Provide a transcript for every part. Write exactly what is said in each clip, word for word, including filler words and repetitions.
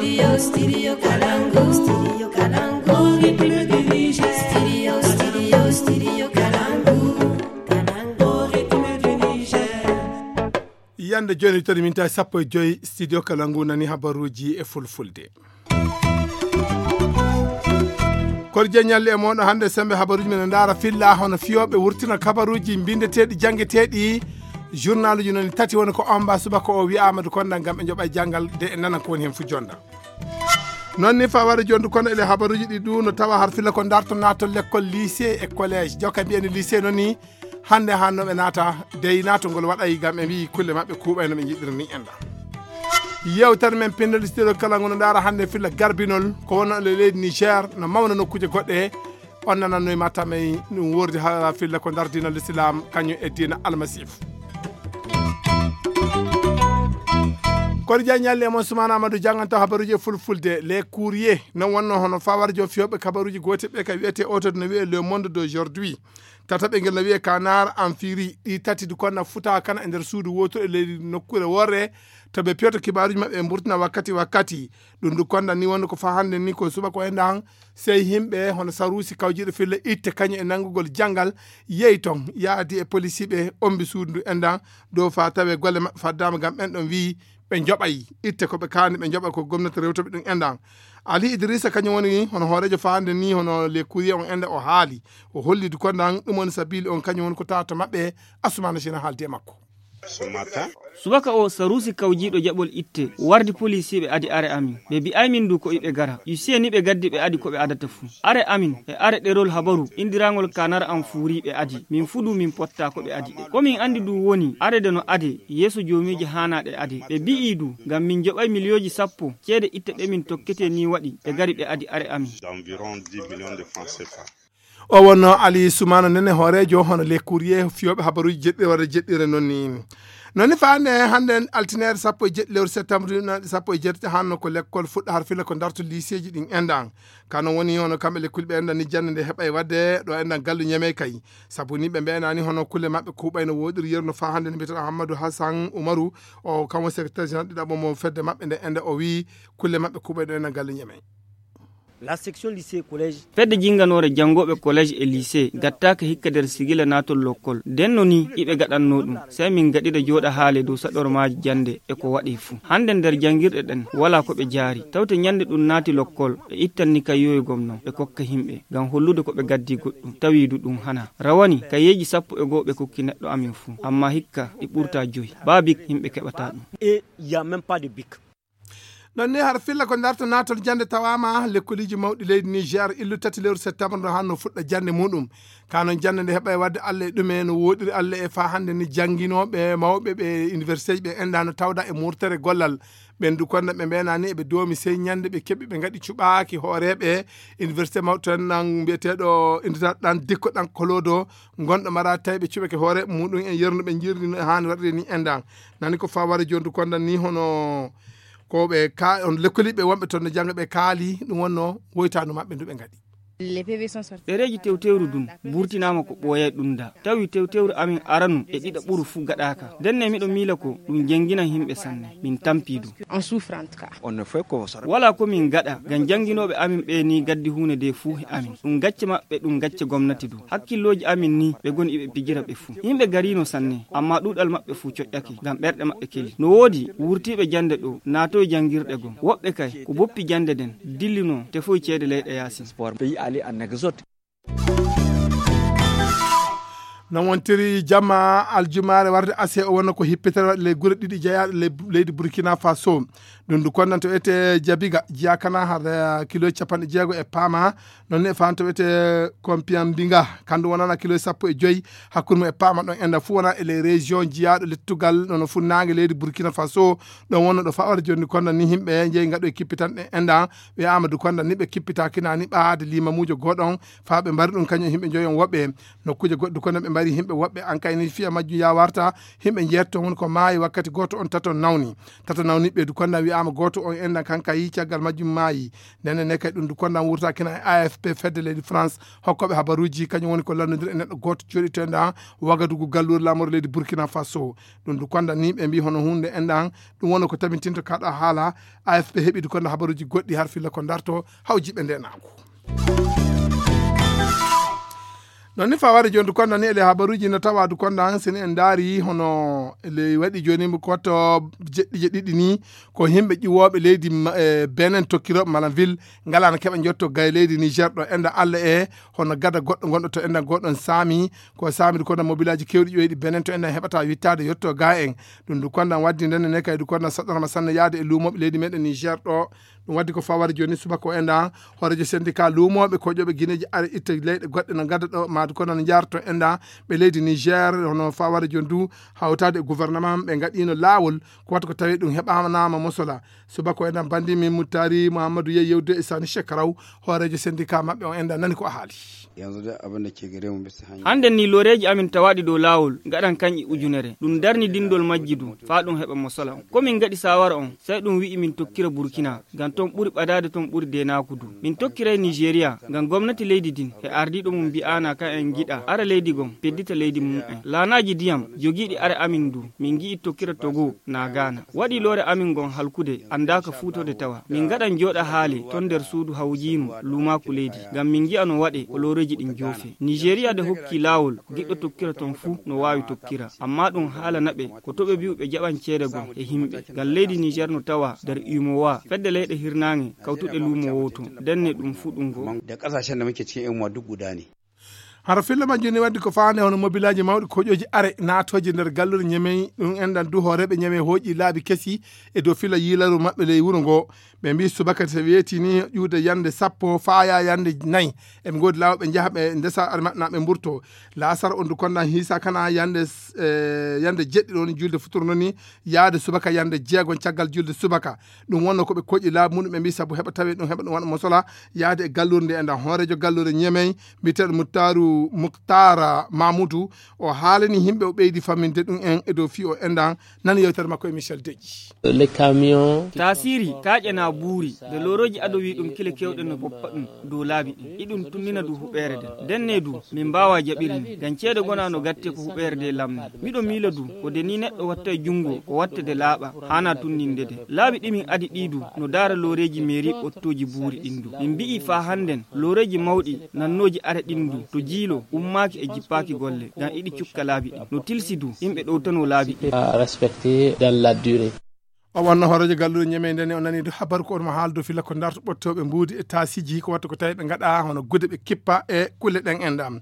Studio, Studio Kalangu, Studio Kalangu, Ritme du Niger. Studio, Studio, Studio Kalangu, Kalangu, Ritme du Niger. Yande jooni to minti sappo e joy, Studio Kalangu nani habaruuji e fulfulde. Korje ñalle e moɗo hannde sembe habaruuji men ndaara filla hono fiyooɓe wurtina kabaruuji bindeteeɗi janngeteeɗi. Journaluuji noon tati woni ko omba subaka o wiyaama du konda ngam ɓe njoɓa janngal de e nana ko woni heen fu jonda. Noon ni fa wara jondu kono ele habaruuji ɗi du no tawa har filla ko darto nato lekkol lycée e collège. Jokka mbiyani lycée noon ni hannde hanno ɓe naata dey naatogol waɗa ngam ɓe mbiyi kulle maɓɓe kuuɓayno ɓe njiɗiri ni enda. Yewtere men pinndol studio kala ngono ndaara hannde filla garbinol ko wonno e leydi Niger no mawna nokkuuje goɗɗe. On nananno e matta men ɗum wordi ha filla ko ndar diina l'islam kañum e diina almasifu. Kono jaa ñalli e mon sumana amadou janganta habaruji e fulfulde les courrier non wonno hono fawar jo fiyooɓe kabaruji gote ɓe ka wiyete oto no wiye le monde d'aujourd'hui. Tataɓe ngel no wiye kanar en firi ɗi tati du konna futa kana e nder suudu woto e leydi nokkure worre to ɓe piyoto kibaruji maɓɓe e mburtina wakkati wakkati. Ɗum du konda ni wonde ko fa hannde ni ko suɓa ko enda han sey himɓe hono sarusi kawjiɗo filla itte kañum e nanngugol janngal yehi toon yaadi e polisiiɓe ombi suudu ndu endan dow fa tawe golle maɓɓe faddama ngam ɓen ɗon wiyi ɓe njoɓay itte ko ɓe kaani ɓe njoɓa ko gomnati rewtoɓe ɗum endan. Ali idrissa kañum woni hono hooreejo faande ni hono le courrier on enda o haali o holli du kondan ɗum woni sabili on kañum woni ko tawata maɓɓe. Asumana sina haaldi e makko. Subaka o sarusi kawjiiɗo jaɓol itte wardi polisiiɓe adi are amin ɓe bi'ay min du ko iɓe gara usiye ni ɓe gaddi ɓe adi ko ɓe adata fuu. Are amin e are ɗerol habaru indirangol kanar am fuuri ɓe adi min fuu du min potta ko ɓe adi ɗe ko min andi du woni arede no ade yeeso joomiiji haanaaɗe ade ɓe bi'i du ngam min joɓay miliyooji sappo ceede itte ɗe min tokkete ni waɗi ɓe gari ɓe adi are amin. O wonno ali sumano nene hoorejo hono le courrier fiyoɓe habaruji jeɗɗi walla jeɗɗire noon ni. Noon ni faande hannde altinere sappo e jeɗɗi lewru septembre ɗi sappo e jeetati hanno ko lekkol fuɗɗa har fila ko darto liseeji ɗin endan kano woni hono kamɓe lekkuli ɓe endan ni jannde nde heɓa e waɗde ɗo endan gallu ñeme kay. Sabu ni ɓe mbeyanani hono kulle maɓɓe kuuɓay no woɗiri yeru no fa hannde no mbiyeten ahammadu hassan umaru o kamo secrétaire général ɗiɗaɓo mo fedde maɓɓe nde enda o wi kulle maɓɓe kuuɓay ɗo endan gallu ñeme. La section lycée collège. Fedde jinganore jangoɓe collège e lycée gattaka hikka nder sigila natol lokkol denno ni iɓe gaɗanno ɗum sai min gaɗira joɗa haale dow saɗormaji jande e ko waɗi fuu hande nder jangirɗe ɗen wala ko ɓe jaari tawte ñande ɗum naati lokkol ɓe ittanni kayyoyogom non ɓe kokka himɓe ngam hollude ko ɓe gaddi goɗɗum tawidu ɗum hana rawani kayyeji sappo e goo ɓe kokki neɗɗo amin fuu amma hikka ɗi ɓurta joyi ba bik himɓe keɓata ɗum. Non ni har filla ko darto natol jande tawama lekkoliji mawɗi leydi niger illu tati lewru septembre ndo hanno fuɗɗa jande muɗum. Kanon jande nde heɓa e wadde allah e ɗume no woɗiri allah e fa hande ni janginoɓe mawɓe ɓe université ji ɓe enda no tawda e murtere gollal. Ɓen du konda ɓe mbenani eɓe doomi sey ñande ɓe keɓi ɓe gaɗi cuɓaki hooreɓe université mawɗo tan nan mbiyeteɗo université ɗan dikko ɗan kolodo gonɗo mara tawi ɓe cuɓake hooreɓe muɗum en yernuɓe jirdi no hani waɗiri ni endan. Nani ko fa wara joni du konda ni hono ko ɓe ka on lekkoliɓe wonɓe toon no jannga ɓe kaali ɗum wonno woytanu maɓɓe ndu ɓe ngaɗi. Ɗereeji tewtewru ndun burtinaama ko ɓooyay ɗum da tawi tewtewru amin aranu e ɗiɗa ɓuru fuu gaɗaaka ndenne miɗo miila ko ɗum jennginan yimɓe sanne min tampi ɗum. Wala ko min gaɗa ngam jannginooɓe amin ɓe ni gaddi huunde nde fuu e amin ɗum gacce maɓɓe ɗum gacce gomnati du hakkillooji amin ni ɓe goni iɓe pijira ɓe fuu yimɓe garino sanne amma ɗuuɗal maɓɓe fuu coƴƴake ngam ɓerɗe maɓɓe keli no woodi wurtiiɓe jannde ɗo naatoy janngirɗe gom woɓɓe kay ko boppi jannde nden dillino tefoy ceede leyɗe yaasin. No wontiri jamma aljumaare warde ase o wonno ko hippitere waɗi ley gure ɗiɗi jeyaaɗe ley leydi burkina faso. Ɗum ndu konnan to wiyete jabiga jiyakana har kilo capanɗe jeego e paama. Noon ne faan to wiyete compiyambinga kandu wonana kilo sappo e joyi. Hakkunde mum e paama ɗon enda fuu wona e ley région jiyaaɗo lettugal nono funnaange leydi burkina faso. Ɗon wonno ɗo fawata jonni konnan ni yimɓe njeyi ngaɗo e kippitanɗe enda. Ɓe amadou konnan ni ɓe kippitakinani ɓaade limamuujo gooɗon faa ɓe mbari ɗum kañum e yimɓe njoyon woɓɓe. Nokkuuje goɗɗe kono ɓe Ari himɓe woɓɓe an kay ni fiya majjum ya warta, himɓe njeetto woni ko maayi wakkati gooto on tato nawni. Tato nawni ɓe du konda wi'ama gooto on endan kan kay caggal majjum maayi. Nene ne kay ɗum du konda wurta kina e A F P fedde leydi France. Hokkoɓe habaruji kañum woni ko lanndodiri e neɗɗo gooto jooɗi to endan Wagadugu galluure lamore leydi Burkina Faso. Ɗum du konda ni ɓe mbi hono hunde endan ɗum woni ko tabintinto kaɗa haala. A F P heɓi du konda habaruji goɗɗi har filla ko darto hawjiɓe ndenaango. Non ni fawade joni du konda ni ele habaruji no tawa du konda sini en daari hono ele waɗi joni mo koto jeɗɗi jeɗɗiɗi ni ko himɓe ƴiwooɓe leydi ma- e benen tokkirooɓe malam ville ngala no keɓa jotto gay leydi niger ɗo enda allah e hono gada goɗɗo gonɗo to enda goɗɗon saami ko saami du konda mobilaji kewɗi ƴoyɗi benen to enda heɓata wittaade yetto ga en. Ɗum du konda waddi ndenne ne kay du konda saɗɗanama sanne yaade e luumoɓe leydi meɗen niger ɗo. Ɗum waddi ko fawade joni subaka o enda hoorejo syndicat luumooɓe koƴooɓe guineji ara itta leyɗe goɗɗe no gadda ɗo maadu kono no jarto enda ɓe leydi niger hono fawade joni du hawtade e gouvernement ɓe gaɗino laawol ko watta ko tawi ɗum heɓanama mosola. Subaka o enda bandi min muttari mouhammadou yey yewde e sani chekaraw hoorejo syndicat maɓɓe o enda nani ko a haali. Yanzu da abin da ke gare mu bisa hanya. Hannden ni looreeji amin tawaaɗi dow laawol ngaɗan kañƴi ujunere ɗum darni dinndol majji du faa ɗum heɓa mo sola on ko min ngaɗi saawara on sey ɗum wi'i min tokkira burkina ngam ton ɓuri ɓadaade ton ɓuri deenaaku du. Min tokkiray nijeriya ngam gomnati leydi din e ardiiɗo mum mbi'aana kan en ngiɗa ara leydi gon peddita leydi mum en laanaaji diyam jogiiɗi ara amin du min ngi'i tokkira togo naa gaana waɗi loore amin ngon halkude anndaaka fuutode tawa min ngaɗan jooɗa haale ton nder suudu hawjiinu luumaaku leydi ngam min ngi'a no waɗe ko looreeji ɗin joofe. Nijeriya de hokki laawol giɗɗo tokkira ton fuu no waawi tokkira ammaa ɗum haala naɓe ko to ɓe mbi'u ɓe jaɓan ceede gom e himɓe ngam leydi nijer no tawa nder umowa fedde leyɗe hirnaange kawtuɗe luumo wooto ndenne ɗum fuu ɗum goo. Da ƙasashen da muke cikin yan uwa duk guda ne. Hara filla majjum ni waddi ko faande hono mobilaaji mawɗi koƴooji are naatooji nder galluure ñemey ɗum enɗan du hooreeɓe ñemey hooƴi laabi kesi e dow filla yiilaru maɓɓe ley wuro ngo. Ɓe mbi subaka so weeti ni ƴuude yande sappo faaya yande nayi. Eɓe ngoodi laawo ɓe njaha ɓe ndesa are maɓɓe na ɓe mburto. Laasar on du konda hiisa kana yande yande jeɗɗi ɗon julde futuro noni yaade subaka yande jeegon caggal julde subaka. Ɗum wonno ko ɓe koƴi laabi muɗum ɓe mbi sabu heɓa tawi ɗum heɓa ɗum waɗa mosola yaade e gallure nde enɗan hoorejo gallure ñemey mbiyeteeɗo muttaru muktara mamoudou. O haalani yimɓe o ɓeydi famminde ɗum en e dow fii o enɗan nani yewtere makko e michel deƴƴi. Les camions. Taasiri kaaƴe na buuri nde loorooji ado wi ɗum kile keewɗe no boppa ɗum dow laabi ɗin iɗum tunnina du huɓeere nden ndenne du min mbaawa jaɓirni ngam ceede gona no gatte ko huɓeere nde lamni. Miɗo miila du ko de ni neɗɗo watta e junngo ko watta de laaɓa haana tunninde de laabi ɗi min adi ɗi du no daara looreeji meeri ɓottooji buuri ɗin du min mbi'i faa hannden looreeji mawɗi nannooji are ɗin du to jiilo ummaaki e jippaaki golle ngam iɗi cukka laabi ɗin no tilsi du yimɓe ɗowtanoo laabi ɗin. Respecté dans la durée. O wonno hooreejo galluure ñemey ndene o nani du habaru ko on mo haaldo fila ko ndarto ɓottooɓe mbuudi e taasiji ko watta ko tawi ɓe ngaɗa hono gude ɓe kippa e kulle ɗen enɗam.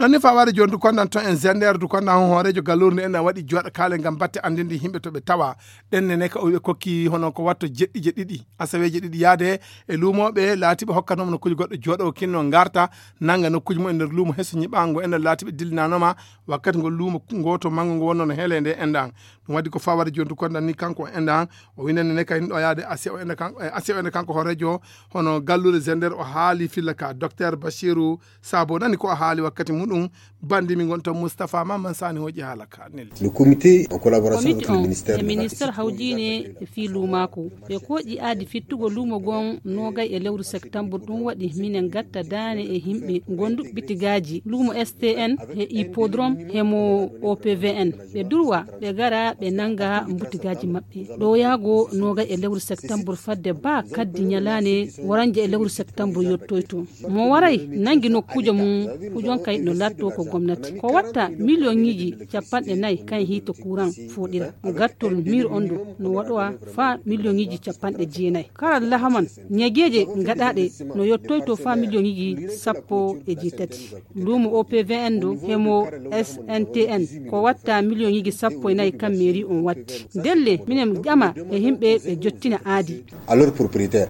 Ɗon ni fawaade jooni du kondan ton en zendeer du kondan hon hooreejo galluure nde enɗam waɗi jooɗa kaale ngam batte anndinde yimɓe to ɓe tawa ɗen nene ka o wiɓe kokki hono ko watto jeɗɗi je ɗiɗi asaweeje ɗiɗi yaade e luumooɓe laatiɓe hokkanoma nokkuuji goɗɗo jooɗo kinno ngarta nanga nokkuuji mum e nder luumo heso ñiɓango enɗam laatiɓe dillinanoma wakkati ngol luumo gooto manngo ngo wonno no heele nde enɗan. Ɗum waɗi ko fawade joni du kondan ni kanko o enɗan o winande ne kay ɗo yaade asi o ene kanko e asi o ene kanko hooreejo hono galluure zender o haali filla ka docteur bachiru sabo nani ko o haali wakkati muɗum. Bandi mi gonta moustapha mamman sani hoƴi haala ka nel. Le comité en collaboration avec le ministère e ministère hawjine e fii luumaaku ɓe koƴi aadi fittugo luumo gon nogay e lewru septembre ɗum waɗi minen gatta daane e yimɓe gonduɓe bitigaaji luumo stn e hippodrome hemo opvn ɓe durwa ɓe gara ɓe nanga mbutigaaji maɓɓe ɗo yaago nogay e lewru septembre fadde ba kaddi ñalaane woranje e lewru septembre yottoyto mo waray nangi nokkuujo mum kujonkay no latto ko gomnati ko watta million ŋiji capanɗe nayi kan hiito kuran fuɗira gattol mir on ɗo no waɗowa fa million ŋiji capanɗe jeenayi kara lahaman ñageeje gaɗaɗe no yottoyto fa million ŋiji sappo e jeetati luumo opvn ɗo hemo sntn ko watta million ŋiji sappo e nayi kan mairie on watti ndelle minen ƴama e yimɓe ɓe jottina aadi. Alors propriétaire.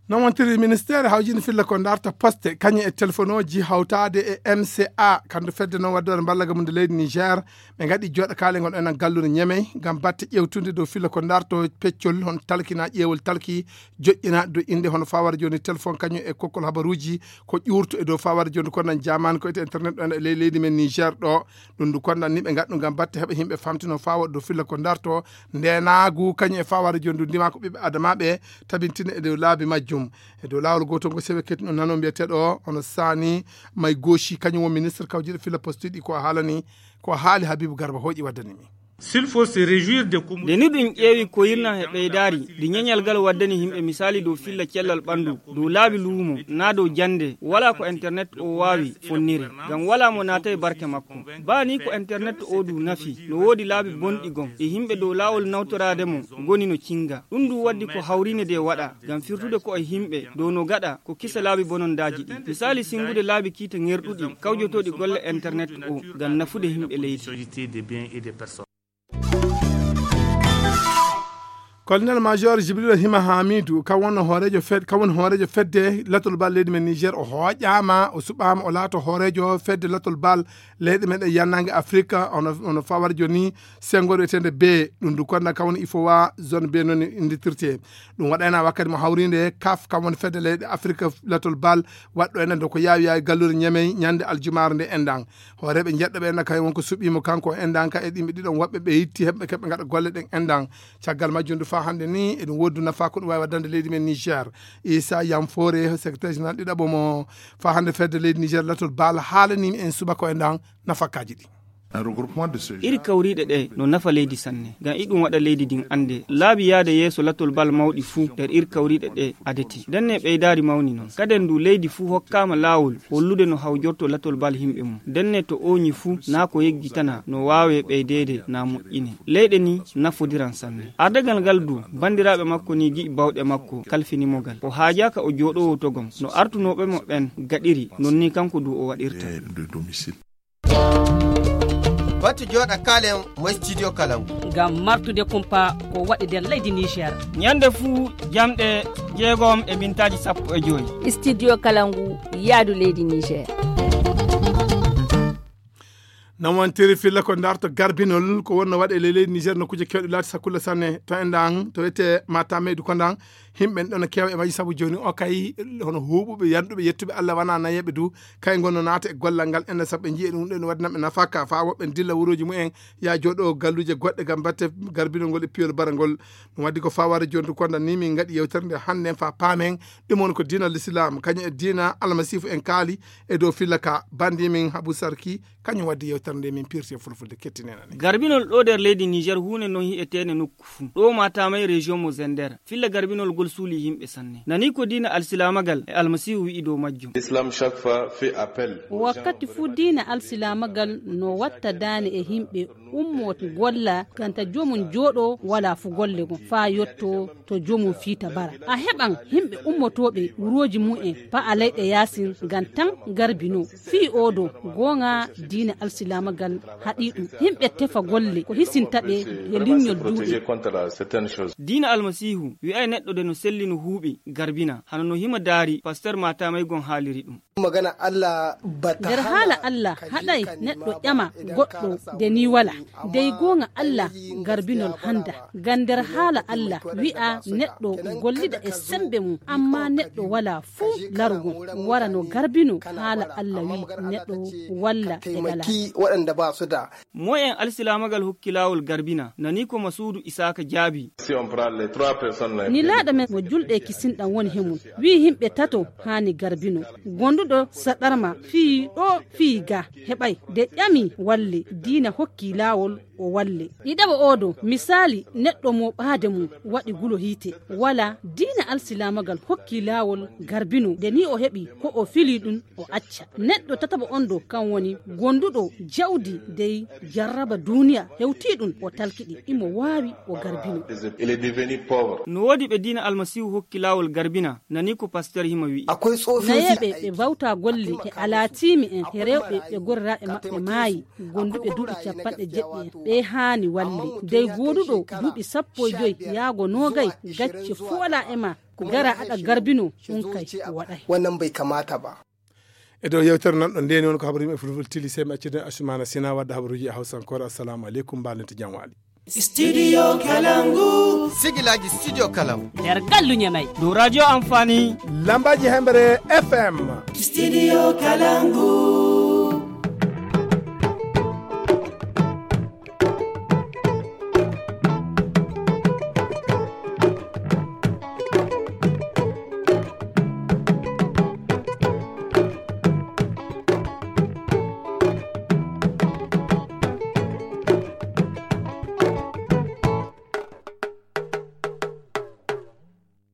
Noon wontiri ministeere hawjinde filla ko darta poste kañum e telefonooji hawtaade e M C A, kamɓe fedde noon wadde walla mballaga mum nde leydi Niger, ɓe ngaɗi jooɗo kaalengol enen galluure Ñemey ngam batte ƴeewtunde dow filla ko darto peccol hono talkina ƴeewol talki joƴƴina dow innde hono fawara jooni téléphone kañum e kokkol habaruuji ko ƴuurto e dow fawara jooni ko nan jaamaani ko ete internet ɗo e ley leydi men Niger ɗo. Ɗum ndu kondan ni ɓe ngaɗ ɗum ngam batte heɓa yimɓe famtino fawat dow filla ko darto ndenaagu kañum e fawara jooni ndu ndima ko ɓiɓɓe adamaaɓe tabintina e dow laabi majjum. E dow laawol gootol ngo sewe ketino nano mbiyeteeɗo hono Sani May Goshi kañum won ministre kawjiɗo filla postuɗi ko haalani ko haali Habibu Garba hooƴi waddani mi. Nde ni ɗum ƴeewi ko yirnan e ɓeydaari ndi ñeñal ngal waddani yimɓe misaali dow filla cellal ɓanndu dow laabi luumo naa dow jannde walaa ko internet o waawi fonnire ngam walaa mo naata e barke makko. Baa ni ko internet o du nafi no woodi laabi bonɗi gom e yimɓe dow laawol nawtoraade mo ngoni no cinga ɗum du waddi ko hawrine de waɗa ngam firtude ko e yimɓe dow no gaɗa ko kisa laabi bonondaaji ɗi misaali singude laabi kiita ŋerɗuɗi kawjotooɗi golle internet o ngam nafude yimɓe leydi. Colonel major Jibril Hima Hamidou kam wonno hooreejo fed kam woni hooreejo fedde latol bal leydi men Niger o hooƴaama o suɓaama o laato hooreejo fedde latol bal leyɗe meɗen yannange Afrique ono ono fawar joni sengo wiyetende B. Ɗum du konda kam woni ifowa zone B noon innditirte. Ɗum waɗayna wakkati mo hawrinde kaf kam woni fedde leyɗe Afrique latol bal waɗɗo enen do ko yaawi yaawi galluure Ñemey ñande aljumaare nde enɗan. Hooreeɓe jeɗɗo ɓe enɗan kay wonko suɓiimo kanko o enɗan ka e ɗimɓe ɗiɗon woɓɓe ɓe yitti heɓɓe keɓɓe ngaɗa golle ɗen enɗan. Caggal majjum du faa hannde ni eɗum woodi du nafa ko ɗum waawi waddande leydi men Niger. Issa Yamfore secrétaire général ɗiɗaɓo mo faa hannde fedde leydi Niger latol bal haalanimi en subaka o enɗan nafakkaaji ɗi. Iri kawriiɗe ɗe no nafa leydi sanne ngam iɗum waɗa leydi ndin annde laabi yaade yeeso latol bal mawɗi fuu nder iri kawriiɗe ɗe adeti ndenne ɓeydaari mawni noon kaden ndu leydi fuu hokkaama laawol hollude no hawjorto latol bal yimɓe mum ndenne to ooñi fuu naa ko yeggitana no waawe ɓeydeede naa moƴƴine leyɗe ni nafodiran sanne ardagal ngal du banndiraaɓe makko ni gi'i bawɗe makko kalfinimo ngal o haajaaka o jooɗoowo togom no artunooɓe mo ɓen gaɗiri non ni kanko du o waɗirta. Batu jooɗa kaalen mo studio kalangu. Ngam martude kumpa ko waɗi nder leydi Niger. Ñande fuu jamɗe jeegom e mintaaji sappo e joy. Studio kalangu yaadu leydi Niger. Nawantiri filla ko darto garbinol ko wonno waɗe ley leydi Niger no kuje kewɗe laati sakkulla sanne to enɗan to wiyete matameydu kondan. Himɓe en ɗon keewa e majji sabu joni o kay hono huuɓuɓe yanɗuɓe yettuɓe Allah wana nayeɓe du kay gonno naata e gollal ngal enen sabu ɓe jii ɗum ɗen waɗi nanɓe nafaka fa woɓɓe dilla wuroji mumen ya jooɗo galluje goɗɗe gam batte garbinol ngol e piyol barangol. Ɗum waddi ko faware joni du konda ni min gaɗi yewtere nde hannde en fa paamen ɗum woni ko diina l'islam kañum e diina almasifu en kaali e dow filla ka bandi min habu sarki. Kañum waddi yewtere nde min pirti e fulfulde kettinenani. Garbinol ɗo nder leydi Niger huunde non hi'eteende nokku fuu ɗo matamay région mo zender filla garbinol ngol suuli yimɓe sanne nani ko diina alsilamagal e almasiihu wi'i dow majjum. Islam chaque fois fait appel. Wakkati fuu diina alsilamagal no watta daane e yimɓe ummo golla ganta joomum jooɗo wala fu golle gon faa yotto to joomum fiita bara a heɓan yimɓe ummotooɓe wurooji mum en pa'a leyɗe yaasin ngam tan garbino fii oo do goonga diina alsilaamagal haɗii ɗum yimɓe tefa golle ko hisinta ɓe e linñol duuɗe. Diina almasiihu wi'ay neɗɗo de no selli no huuɓi garbina hano no hima daari pasteur maataamay gon haaliri ɗum. Magana Allah ba ta nder haala Allah haɗay neɗɗo ƴama goɗɗo de ni wala dey goonga Allah garbinol hannda ngam nder haala Allah wi'a neɗɗo gollida e sembe mum amma neɗɗo wala fuu larugol wara no garbino haala Allah wi neɗɗo walla e gala. Moyen alsilaamagal hokki laawol garbina nani ko masuudu isaaka jaabi. Ni laaɗo men mo julɗe kisinɗan woni he mum wi'i yimɓe tato haani garbino. Gonduɗo saɗarma fii ɗo fii ga heɓay de ƴami walle diina hokki laawol o walle. Ɗiɗaɓo odo misaali neɗɗo mo ɓaade mum waɗi gulo hiite wala diina alsilaamagal hokki laawol garbino de ni o heɓi ko o fili ɗum o acca. Neɗɗo tataɓo on ɗo kan woni gonduɗo jawdi dey jarraba duuniya hewti ɗum o talkiɗi imo waawi o garbino. No woodi ɓe diina almasiihu hokki laawol garbina nani ko pasteur hima wi'i. Nayeɓe ɓe bawta golle e alaatiimi en he rewɓe ɓe gorraaɓe maɓɓe maayi gonduɓe duuɓi capanɗe jeɗɗi en. ɗe haani walle dey gooduɗo duuɓi sappo e joyi yaago noogay gacce fuu alaa e ma gara aɗa garbino ɗum kay waɗay. Wannan bai kamata ba. E dow yewtere nan ɗo ndeni won ko habaru yimɓe fulful tili sey mi acciden asumana sina wadda habaruji e hawsankore. Assalamu aleykum, mbalnete jam waali. Studio Kalangu. Sigilaaji Studio Kalangu. Nder gallu Ñamey. Dow radio Amfani. Lambaaji Hemre F M. Studio Kalangu.